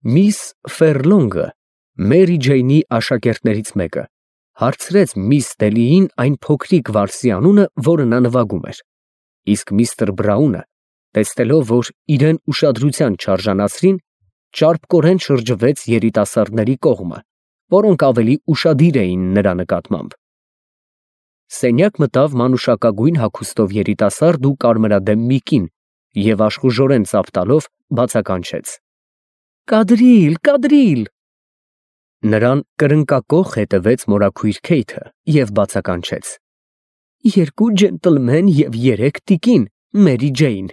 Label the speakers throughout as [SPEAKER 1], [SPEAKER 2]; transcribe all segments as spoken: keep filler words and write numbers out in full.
[SPEAKER 1] Միս Ֆերլոնգը, Մերի Ջեյնի աշակերտներից մեկը, հարցրեց միս Դելիին այն փոքրիկ վարսի անունը, որը նա նվագում էր, իսկ միստր Բրաունը, տեսնելով, որ իրան ուշադրության չարժանացրին, ճարպկորեն շրջվեց երիտասարդների կողմը, որոնք ավելի ուշադիր էին նրա նկատմամբ։ Սենյակ մտավ մանուշակագույն հագուստով երիտասարդ ու կարմրադեմ մի կին և աշխուժորեն ծափ տալով բացականչեց. «Կադրիլ, կադրիլ»։ Նրան կրնկակոխ հետևեց մորաքույր Քեյթը և բացականչեց. «Երկու ջենտլմեն և երեք տիկին, Մերի Ջեյն»։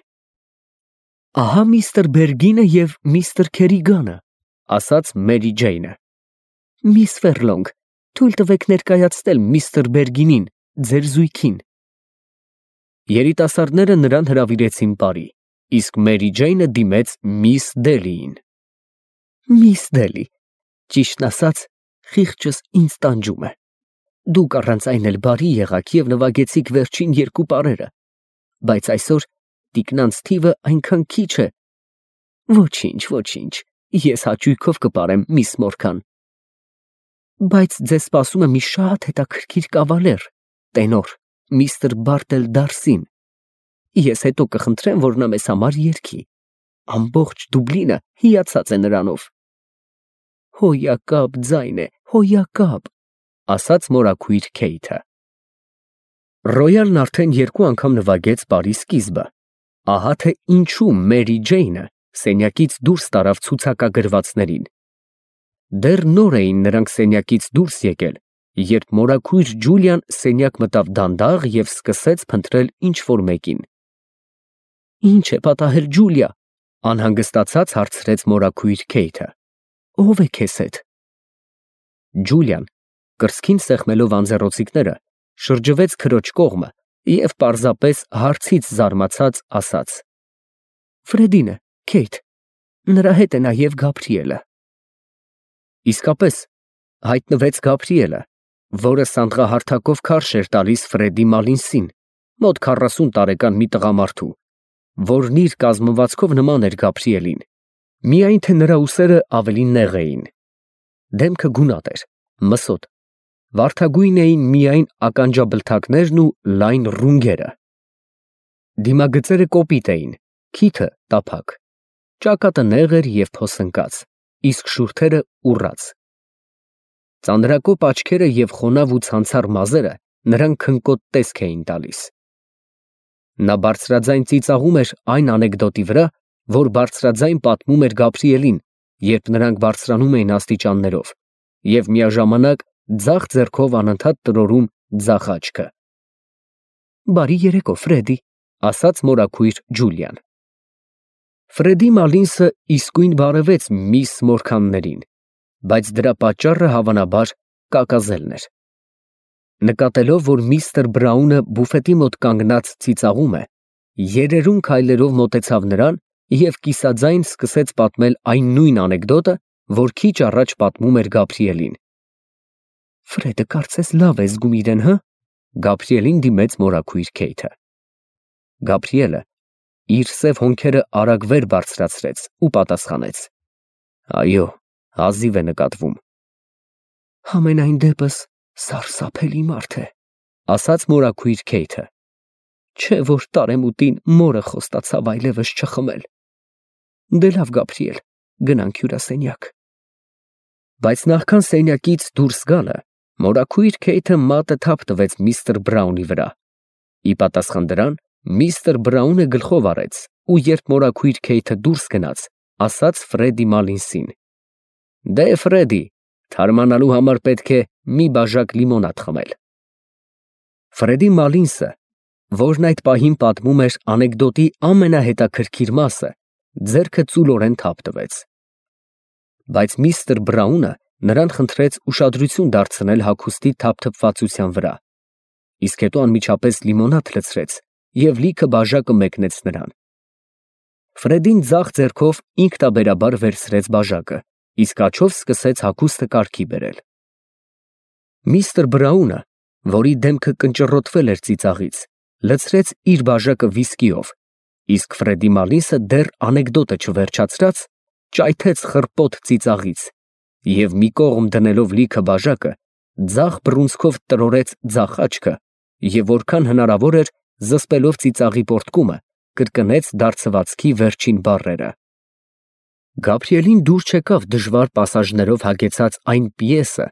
[SPEAKER 1] «Ահա միստր Բերգինը և միստր Քերիգանը», ասաց Մերի Ջեյնը։ «Միս Ֆերլոնգ, թույլ տվեք ներկայացնել միստր Բերգինին, ձեր զույգին»։ Երիտասարդները նրան հրավիրեցին պարի, իսկ Մերի Ջեյնը դիմեց միս Դելիին։ «Միս Դելի, ճիշտն ասած, խիղճս ինձ տանջում է։ Դուք առանց այն էլ բարի եղաք և նվագեցիք վերջին երկու պարերը, բայց այսօր տիկնանց թիվը այնքան քիչ է։ Ոչինչ, ոչինչ, ես հաճույքով կպարեմ, միս Մորգան։ Բայց ձեզ սպասում է մի շատ հետաքրքիր կավալեր, տենոր, միստր Բարտել Դարսին։ Ես հետո կխնդրեմ, որ նա մեզ համար երգի։ Ամբողջ Դուբլինը հիացած է նրանով։ Հոյակապ ձայն է, հոյակապ, ասաց մորաքույր Քեյթը։ Ռոյալն արդեն երկու անգամ նվագեց պարի սկիզբը։ Ահա թե ինչու Մերի Ջեյնը սենյակից դուրս տարավ ցուցակագրվածներին։ Դեռ նոր էին նրանք սենյակից դուրս եկել, երբ մորաքույր Ջուլիան սենյակ մտավ դանդաղ և սկսեց փնտրել ինչ֊որ մեկին։ «Ինչ է պատահել, Ջուլիա», անհանգստացած հարցրեց մորաքույր Քեյթը։ «Ո՞վ է քեզ հետ»։ Ջուլիան, կրծքին սեղմելով անձեռոցիկները, շրջվեց քրոջ կողմը և պարզապես հարցից զարմացած ասաց. «Ֆրեդին է, Քեյթ, նրա հետ է նաև Գաբրիելը»։ Իսկապես, հայտնվեց Գաբրիելը, որը սանդղահարթակով քարշ էր տալիս Ֆրեդի Մալինսին, մոտ քառասուն տարեկան մի տղամարդու, որն իր կազմվածքով նման էր Գաբրիելին, միայն թե նրա ուսերը ավելի նեղ էին։ Դեմքը գունատ էր, մսոտ, վարդագույն էին միայն ականջաբլթակներն ու լայն ռունգերը։ Դիմագծերը կոպիտ էին, քիթը տափակ, ճակատը նեղ էր և փոսնկած, իսկ շուրթերը ուռած։ Ծանրակոպ աչքերը և խոնավ ու ցանցառ մազերը նրան քնկոտ տեսք էին տալիս։ Նա բարձրաձայն ծիծաղում էր այն անեկդոտի վրա, որ բարձրաձայն պատմում էր Գաբրիելին, երբ նրանք բարձրանում էին աստիճաններով, և միաժամանակ ձախ ձեռքով անընդհատ տրորում ձախ աչքը։ «Բարի երեկո, Ֆրեդի», ասաց մորաքույր Ջուլիան։ Ֆրեդի Մալինսը իսկույն բարևեց միս Մորգաններին, բայց դրա պատճառը հավանաբար կակազելն էր։ Նկատելով, որ միստր Բրաունը բուֆետի մոտ կանգնած ծիծաղում է, երերուն քայլերով մոտեցավ նրան և կիսաձայն սկսեց պատմել այն նույն անեկդոտը, որ քիչ առաջ պատմում էր Գաբրիելին։ «Ֆրեդը կարծես լավ է զգում իրեն, հը»։ Գաբրիելին դիմեց մորաքույր Քեյթը։ Գաբրիելը իր սև հոնքերը արագ վեր բարձրացրեց ու պատասխանեց. «Այո, հազիվ է նկատվում»։ «Համենայն դեպս սարսափելի մարդ է», ասաց մորաքույր Քեյթը։ «Չէ որ տարեմուտին մորը խոստացավ այլևս չխմել։ Դե լավ, Գաբրիել, գնանք հյուրասենյակ»։ Բայց նախքան սենյակից դուրս գալը, մորաքույր Քեյթը մատը թափ տվեց միստր Բրաունի վրա։ Ի պատասխան դրան, միստր Բրաունը գլխով արեց ու երբ մորաքույր Քեյթը դուրս գնաց, ասաց Ֆրեդի Մալինսին. «Դե, Ֆրեդի, թարմանալու համար պետք է մի բաժակ լիմոնադ խմել»։ Ֆրեդի Մալինսը, որն այդ պահին պատմում էր անեկդոտի ամենահետաքրքիր մասը, ձեռքը ծուլորեն թափ տվեց։ Բայց միստր Բրաունը նրան խնդրեց ուշադրություն դարձնել հագուստի թափթփվածության վրա, իսկ հետո անմիջապես լիմոնադ լցրեց և լիքը բաժակը մեկնեց նրան։ Ֆրեդին ձախ ձեռքով ինքնաբերաբար վերցրեց բաժակը, իսկ աջով սկսեց հագուստը կարգի բերել։ Միստր Բրաունը, որի դեմքը կնճռոտվել էր ծիծաղից, լցրեց իր բաժակը վիսկիով, իսկ Ֆրեդի Մալինսը դեռ անեկդոտը չվերջացրած, ճայթեց խրպոտ ծիծաղից և մի կողմ դնելով լիքը բաժակը, ձախ բռունցքով տրորեց ձախ աչքը և որքան հնարավոր էր զսպելով ծիծաղի պոռթկումը, կրկնեց դարձվածքի վերջին բառերը։ Գաբրիելին դուր չեկավ դժվար պասաժներով հագեցած այն պիեսը,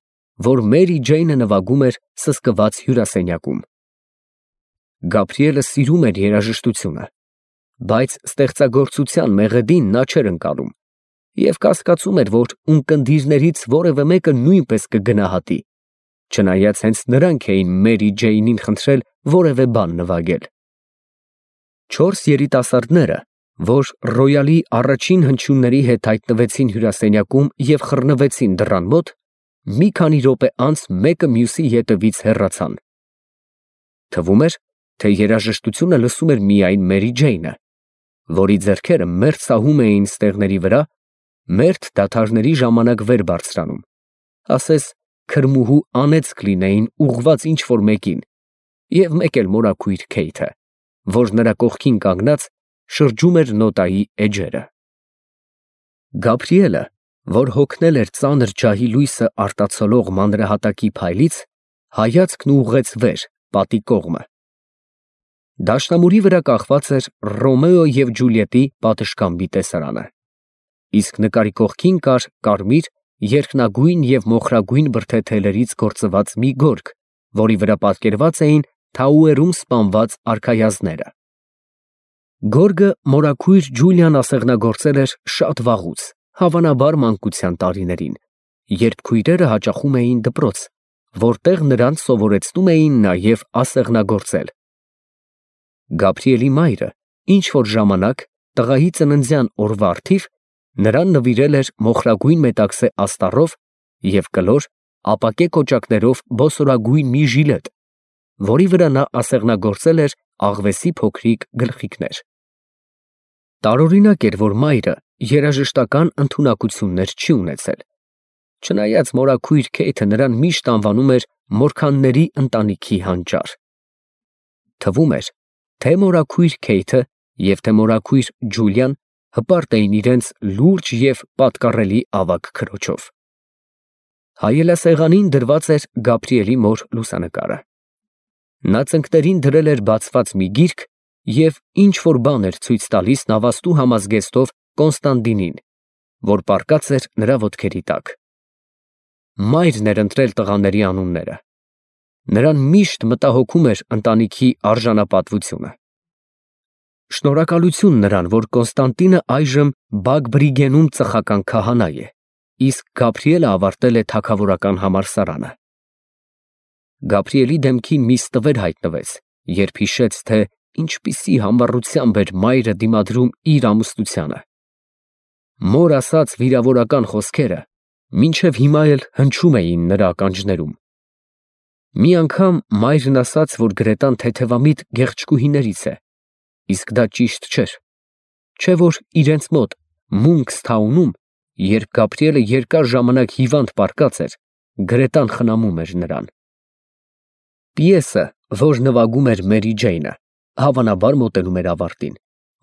[SPEAKER 1] որ Մերի Ջեյնը նվագում էր սսկված հյուրասենյակում։ Գաբրիելը սիրում էր երաժշտությունը, բայց ստեղծագործության մեղեդին նա չէր ընկալում և կասկածում էր, որ ունկնդիրներից որևէ մեկը նույնպես կգնահատի, չնայած հենց նրանք էին Մերի Ջեյնին խնդրել որևէ բան նվագել։ Չորս երիտասարդները, որ ռոյալի առաջին հնչյունների հետ հայտնվեցին հյուրասենյակում և խռնվեցին դռան մոտ, մի քանի րոպե անց մեկը մյուսի ետևից հեռացան։ Թվում էր, թե երաժշտությունը լսում էր միայն Մերի Ջեյնը, որի ձեռքերը մերթ սահում էին ստեղների վրա, մերթ դադարների ժամանակ վեր բարձրանում, ասես քրմուհու անեծք լինեին ուղղված ինչ֊որ մեկին, և մեկ էլ մորաքույր Քեյթը, որ նրա կողքին կանգնած շրջում էր նոտայի էջերը։ Գաբրիելը, որ հոգնել էր ծանր ջահի լույսը արտացոլող մանրահատակի փայլից, հայացքն ուղղեց վեր, պատի կողմը։ Դաշնամուրի վրա կախված էր Ռոմեո և Ջուլիետի պատշգամբի տեսարանը, իսկ նկարի կողքին կար կարմիր, երկնագույն և մոխրագույն բրդե-թելերից գործված մի գորգ, որի վրա պատկերված էին Թաուերում սպանված արքայազնները։ Գորգը մորաքույր Ջուլիան ասեղնագործել էր շատ վաղուց, հավանաբար մանկության տարիներին, երբ քույրերը հաճախում էին դպրոց, որտեղ նրանց սովորեցնում էին նաև ասեղնագործել։ Գաբրիելի մայրը ինչ֊որ ժամանակ տղայի ծննդյան օրվա առթիվ նրան նվիրել էր մոխրագույն մետաքսե աստառով և կլոր, ապակե կոճակներով բոսորագույն մի ժիլետ, որի վրա նա ասեղնագործել էր աղվեսի փոքրիկ գլխիկներ։ Տարօրինակ էր, որ մայրը երաժշտական ընդունակություններ չի ունեցել, չնայած մորաքույր Քեյթը նրան միշտ անվանում էր Մորքանների ընտանիքի հանճար։ Թվում էր, թե մորաքույր Քեյթը և թե մորաքույր Ջուլիան հպարտ էին իրենց լուրջ և պատկառելի ավագ քրոջով։ Հայելասեղանին դրված էր Գաբրիելի մոր լուսանկարը։ Նա ծնկներին դրել էր բացված մի գիրք և ինչ֊որ բան էր ցույց տալիս նավաստու համազգեստով Կոնստանդինին, որ պառկած էր նրա ոտքերի տակ։ Մայրն էր ընտրել տղաների անունները։ Նրան միշտ մտահոգում էր ընտանիքի արժանապատվությունը։ Շնորհակալություն նրան, որ Կոնստանտինը այժմ Բագբրիգենում ծխական քահանա է, իսկ Գաբրիելը ավարտել է թագավորական համալսարանը։ Գաբրիելի դեմքին մի ստվեր հայտնվեց, երբ հիշեց, թե ինչպիսի համառությամբ էր մայրը դիմադրում իր ամուսնությանը։ Մոր ասած վիրավորական խոսքերը մինչև հիմա էլ հնչում էին նրա ականջներում։ Մի անգամ մայրն ասաց, որ Գրետան թեթևամիտ գեղեցկուհիներից է, իսկ դա ճիշտ չէր, չէ որ իրենց մոտ Մունքսթաունում, երբ Գաբրիելը երկար ժամանակ հիվանդ պառկած էր, Գրետան խնամում էր նրան։ Պիեսը, որ նվագում էր Մերի Ջեյնը, հավանաբար մոտենում էր ավարտին,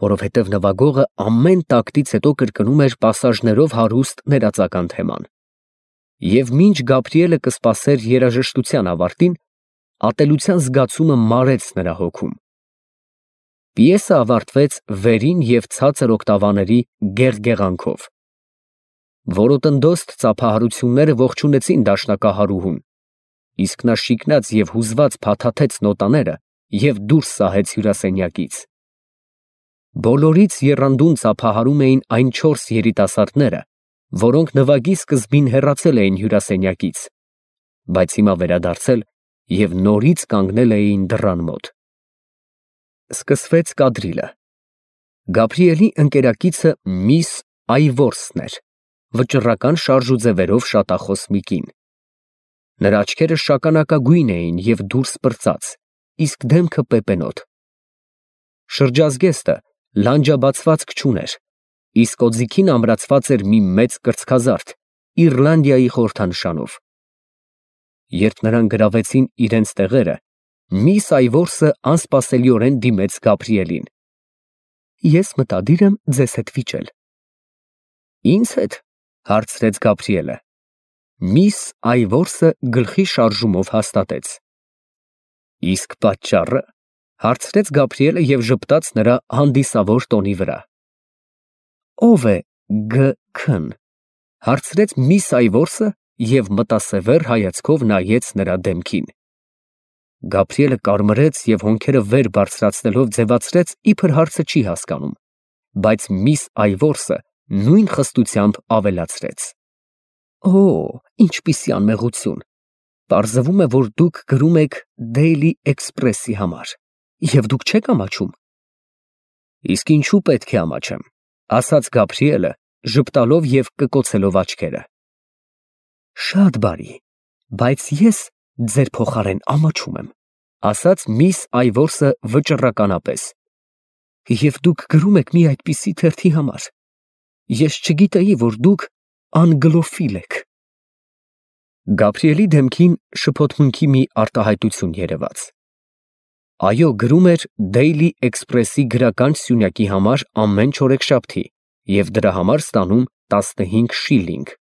[SPEAKER 1] որովհետև նվագողը ամեն տակտից հետո կրկնում էր պասաժներով հարուստ ներածական թեման։ Եվ մինչ Գաբրիելը կսպասեր երաժշտության ավարտին, ատելության զգացումը մարեց նրա հոգում։ Պիեսը ավարտվեց վերին և ցածր օկտավաների գեղգեղանքով։ Որոտնդոստ ծափահարությունները ողջունեցին դաշնակահարուհուն, իսկ նա շիկնած և հուզված փաթաթեց նոտաները և դուրս սահեց հյուրասենյակից։ Բոլորից եռանդուն ծափահարում էին այն չորս երիտասարդները, որոնք նվագի սկզբին հեռացել էին հյուրասենյակից, բայց հիմա վերադարձել և նորից կանգնել էին դռան մոտ։ Սկսվեց կադրիլը։ Գաբրիելի ընկերակիցը միս Այվորսն էր, վճռական շարժուձևերով շատախոս մի կին։ Նրա աչքերը շագանակագույն էին և դուրս պրծած, իսկ դեմքը պեպենոտ։ Շրջազգեստը լանջաբացվածք չուներ, իսկ օձիքին ամրացված էր մի մեծ կրծքազարդ Իռլանդիայի խորհրդանշանով։ Երբ նրան գրավեցին իրենց տեղերը, միս Այվորսը անսպասելիորեն դիմեց Գաբրիելին։ Ես մտադիր եմ ձեզ հետ վիճել։ Ինձ հետ, հարցրեց Գաբրիելը։ Միս Այվորսը գլխի շարժումով հաստատեց։ Իսկ պատճառը, հարցրեց Գաբրիելը և ժպտաց նրա հանդիսավոր տոնի վրա։ Ո՞վ է Գ.Ք.-ն, հարցրեց միս Այվորսը և մտասևեռ հայացքով նայեց նրա դեմքին։ Գաբրիելը կարմրեց և հոնքերը վեր բարձրացնելով ձևացրեց, իբր հարցը չի հասկանում, բայց միս Այվորսը նույն խստությամբ ավելացրեց. Օ, ինչպիսի անմեղություն, պարզվում է, որ դուք գրում եք Daily Express-ի համար, և դուք չեք ամաչում։ Իսկ ինչու պետք է ամաչեմ, ասաց Գաբրիելը, ժպտալով և կկոցելով աչքերը։ Շատ բարի, բայց ես ձեր փոխարեն ամաչում եմ, ասաց միս Այվորսը վճռականապես։ Եվ դուք գրում եք մի այդպիսի թերթի համար։ Ես չգիտեի, որ դուք անգլոֆիլ եք։ Գաբրիելի դեմքին շփոթմունքի մի արտահայտություն երևաց։ Այո, գրում էր Daily Express-ի գրական սյունյակի համար ամեն չորեքշաբթի և դրա համար ստանում տասնհինգ շիլինգ,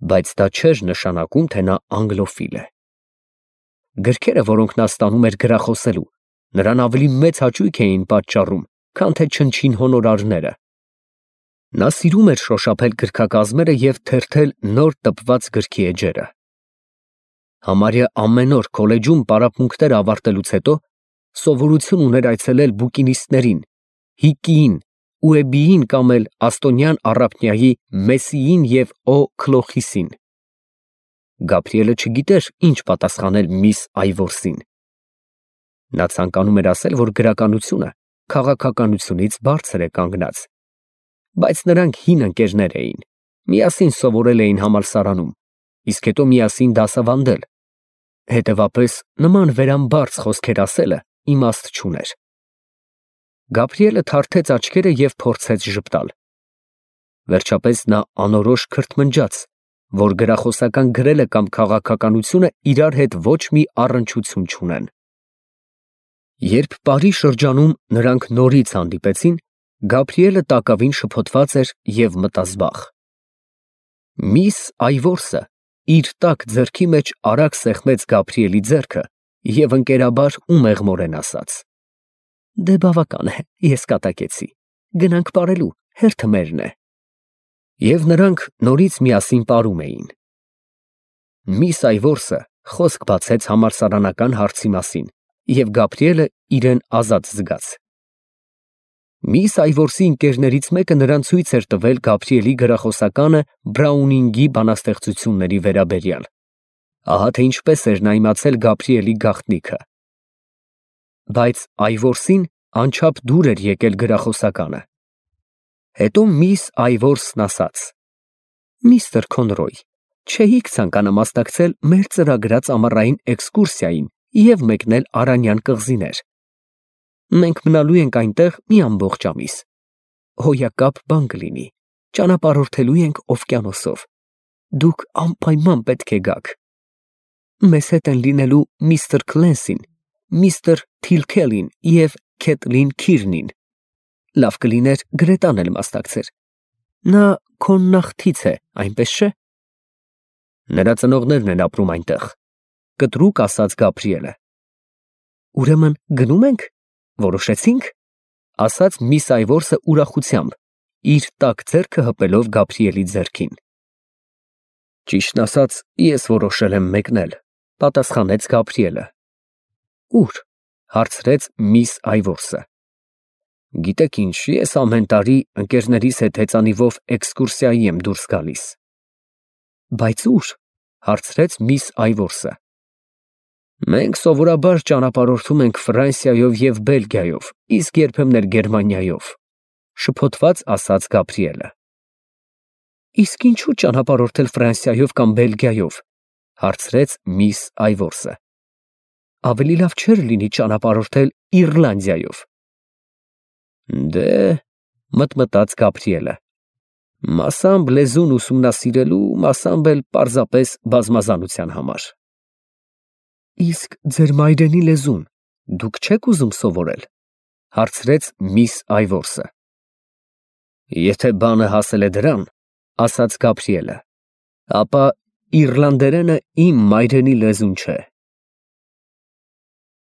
[SPEAKER 1] բայց դա չէր նշանակում, թե նա անգլոֆիլ է։ Գրքերը, որոնք նա ստանում էր գրախոսելու, նրան ավելի մեծ հաճույք էին պատճառում, քան թե չնչին հոնորարները։ Նա սիրում էր շոշափել գրքակազմերը և թերթել նոր տպված գրքի էջերը։ Համարյա ամեն օր քոլեջում պարապմունքներ ավարտելուց հետո սովորություն ուներ այցելել բուկինիստներին, Հիկիին, Ուեբիին կամ էլ Աստոնյան առափնյայի Մեսսիին և Օ. Քլոխիսին։ Գաբրիելը չգիտեր ինչ պատասխանել միս Այվորսին։ Նա ցանկանում էր ասել, որ գրականությունը քաղաքականությունից բարձր է կանգնած, բայց նրանք հին ընկերներ էին, միասին սովորել էին համալսարանում, իսկ հետո միասին դասավանդել, հետևապես նման վերամբարձ խոսքեր ասելը իմաստ չուներ։ Գաբրիելը թարթեց աչքերը և փորձեց ժպտալ։ Վերջապես նա անորոշ քրթմնջաց, որ գրախոսական գրելը կամ քաղաքականությունը իրար հետ ոչ մի առնչություն չունեն։ Երբ պարի շրջանում նրանք նորից հանդիպեցին, Գաբրիելը տակավին շփոթված էր և մտազբաղ։ Միս Այվորսը իր տաք ձեռքի մեջ արագ սեղմեց Գաբրիելի ձեռքը և ընկերաբար ու մեղմորեն ասաց. Դե բավական է, ես կատակեցի, գնանք պարելու, հերթը մերն է։ Եվ նրանք նորից միասին պարում էին։ Միս Այվորսը խոսք բացեց համալսարանական հարցի մասին, և Գաբրիելը իրեն ազատ զգաց։ Միս Այվորսի ընկերներից մեկը նրան ցույց էր տվել Գաբրիելի գրախոսականը Բրաունինգի բանաստեղծությունների վերաբերյալ։ Ահա թե ինչպես էր նա իմացել Գաբրիելի գաղտնիքը։ Բայց Այվորսին անչափ դուր էր եկել գրախոսականը։ Հետո միս Այվորսն ասաց. Միստր Քոնրոյ, չէիք ցանկանա մասնակցել մեր ծրագրած ամառային էքսկուրսիային և մեկնել Արանյան կղզիներ։ Մենք մնալու ենք այնտեղ մի ամբողջ ամիս։ Հոյակապ բան կլինի, ճանապարհորդելու ենք օվկիանոսով։ Դուք անպայման պետք է գաք։ Մեզ հետ են լինելու միստր Քլենսին, միստր Թիլքելին և Քեթլին Քիրնին։ Լավ կլիներ Գրետան էլ մասնակցեր։ Նա քո նախթից է, այնպես չէ։ Նրա ծնողներն են ապրում այնտեղ, կտրուկ ասաց Գաբրիելը։ Ուրեմն գնո՞ւմ ենք, որոշեցինք, ասաց միս Այվորսը ուրախությամբ, իր տաք ձեռքը հպելով Գաբրիելի ձեռքին։ Ճիշտն ասած, ես որոշել եմ մեկնել, պատասխանեց Գաբրիելը։ Ո՞ւր, հարցրեց միս Այվորսը։ Գիտեք ինչ, ես ամեն տարի ընկերներիս հետ հեծանիվով էքսկուրսիայի եմ դուրս գալիս։ Բայց ո՞ւր, հարցրեց միս Այվորսը։ Մենք սովորաբար ճանապարհորդում ենք Ֆրանսիայով և Բելգիայով, իսկ երբեմն էլ Գերմանիայով, շփոթված ասաց Գաբրիելը։ Իսկ ինչու ճանապարհորդել Ֆրանսիայով կամ Բելգիայով, հարցրեց միս Այվորսը։ Ավելի լավ չէր լինի ճանապարհորդել Իռլանդիայով։ Դե, մտմտաց Գաբրիելը, մասամբ լեզուն ուսումնասիրելու, մասամբ էլ պարզապես բազմազանության համար։ Իսկ ձեր մայրենի լեզուն դուք չեք ուզում սովորել, հարցրեց միս Այվորսը։ Եթե բանը հասել է դրան, ասաց Գաբրիելը, ապա իռլանդերենը իմ մայրենի լեզուն չէ։